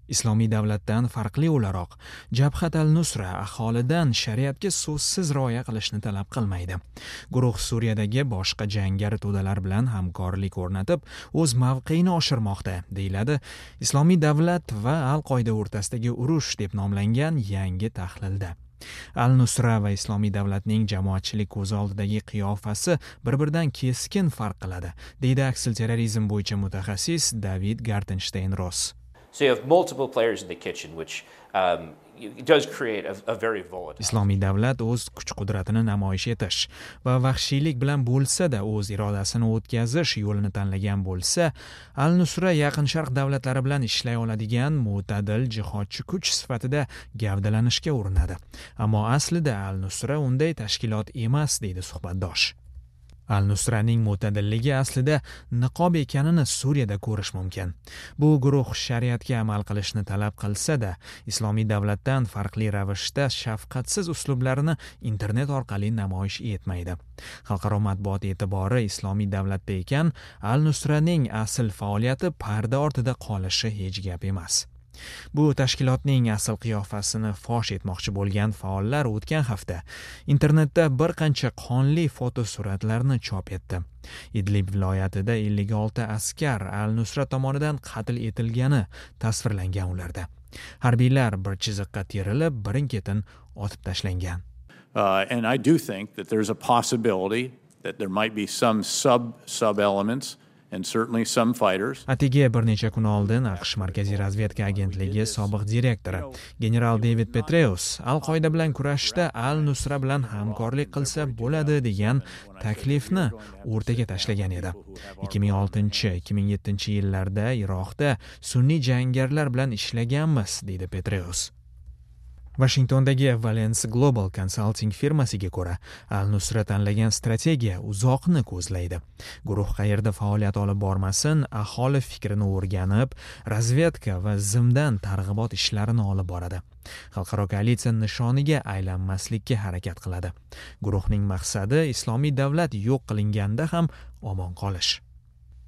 Islomiy davlatdan farqli o'laroq, Jabhat al-Nusra aholidan shariatga so'zsiz rioya qilishni talab qilmaydi. Guruh Suriyadagi boshqa jangari to'dalar bilan hamkorlik o'rnatib, o'z mavqeini oshirmoqda, deyiladi Islomiy davlat va Al-Qoida o'rtasidagi urush deb nomlangan yangi tahlilda. Al-Nusra va Islomiy davlatning jamoatchilik ko'z oldidagi qiyofasi bir-biridan keskin farq qiladi, deydi aksilterrorizm bo'yicha mutaxassis David Gartenstein Ross. So you have multiple players in the kitchen, which does create a very volatile. Islomiy davlat o'z kuch-qudratini namoyish etish va vahshiylik bilan bo'lsa-da o'z irodasini o'tkazish yo'lini tanlagan bo'lsa, Al-Nusra Yaqin Sharq davlatlari bilan ishlay oladigan mo'tadil jihodchi kuch sifatida gavdalanishga urinadi. Ammo aslida Al-Nusra unday tashkilot emas, deydi suhbatdosh. Al-Nusraning mo'tadilligi aslida niqob ekanini Suriyada ko'rish mumkin. Bu guruh shariatga amal qilishni talab qilsa-da, Islomiy davlatdan farqli ravishda shafqatsiz uslublarini internet orqali namoyish etmaydi. Xalqaro matbuot e'tibori Islomiy davlatda ekan, Al-Nusraning asl faoliyati parda ortida qolishi hech gap emas. Bu tashkilotning asl qiyofasini fosh etmoqchi bo'lgan faollar o'tgan hafta internetda bir qancha qonli fotosuratlarni chop etdi. Idlib viloyatida 56 askar Al-Nusra tomonidan qatl etilgani tasvirlangan ularda. Harbiylar bir chiziqqa terilib, birin-ketin otib tashlangan. And I do think that there's a possibility that there might be some sub elements and certainly some fighters. Atigi bir necha kun oldin AQSh Markaziy razvedka agentligi sobiq direktori general David Petraeus Al-Qoida bilan kurashda Al-Nusra bilan hamkorlik qilsa bo'ladi degan taklifni o'rtaga tashlagan edi. 2006-2007 yillarda Iroqda sunniy jangarilar bilan ishlaganmiz, deydi Petraeus. Washingtondagi Valence Global Consulting firmasiga ko'ra, Al-Nusra tanlagan strategiya uzoqni ko'zlaydi. Guruh qayerda faoliyat olib bormasin, aholi fikrini o'rganib, razvedka va zimdan targ'ibot ishlarini olib boradi. Xalqaro koalitsiya nishoniga aylanmaslikka harakat qiladi. Guruhning maqsadi Islomiy davlat yo'q qilinganda ham omon qolish.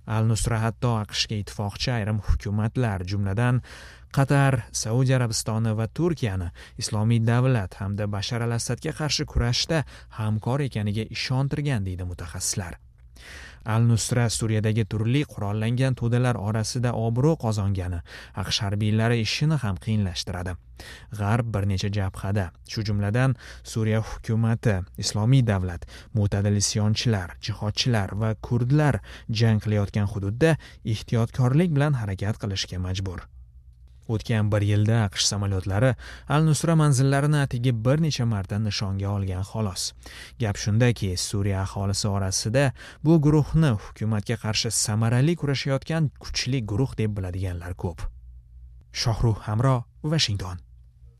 Al-Nusra hatto AQShga ittifoqchi ayrim hukumatlar, jumladan Qatar, Saudiya Arabistoni va Turkiyani Islomiy davlat hamda Bashar al-Assadga qarshi kurashda hamkor ekaniga ishontirgan, deydi mutaxassislar. Al-Nusra Suriyadagi turli qurollangan to'dalar orasida obro' qozongani AQSh harbiylari ishini ham qiyinlashtiradi. G'arb bir necha jabhada, shu jumladan Suriya hukumati, Islomiy davlat, mo'tadil isyonchilar, jihodchilar va kurdlar jang qilayotgan hududda ehtiyotkorlik bilan harakat qilishga majbur. O'tgan bir yilda AQSh samolyotlari Al-Nusra manzillarini atigi bir necha marta nishonga olgan xolos. Gap shundaki, Suriya aholisi orasida bu guruhni hukumatga qarshi samarali kurashayotgan kuchli guruh deb biladiganlar ko'p. Shohruh Hamro, Washington.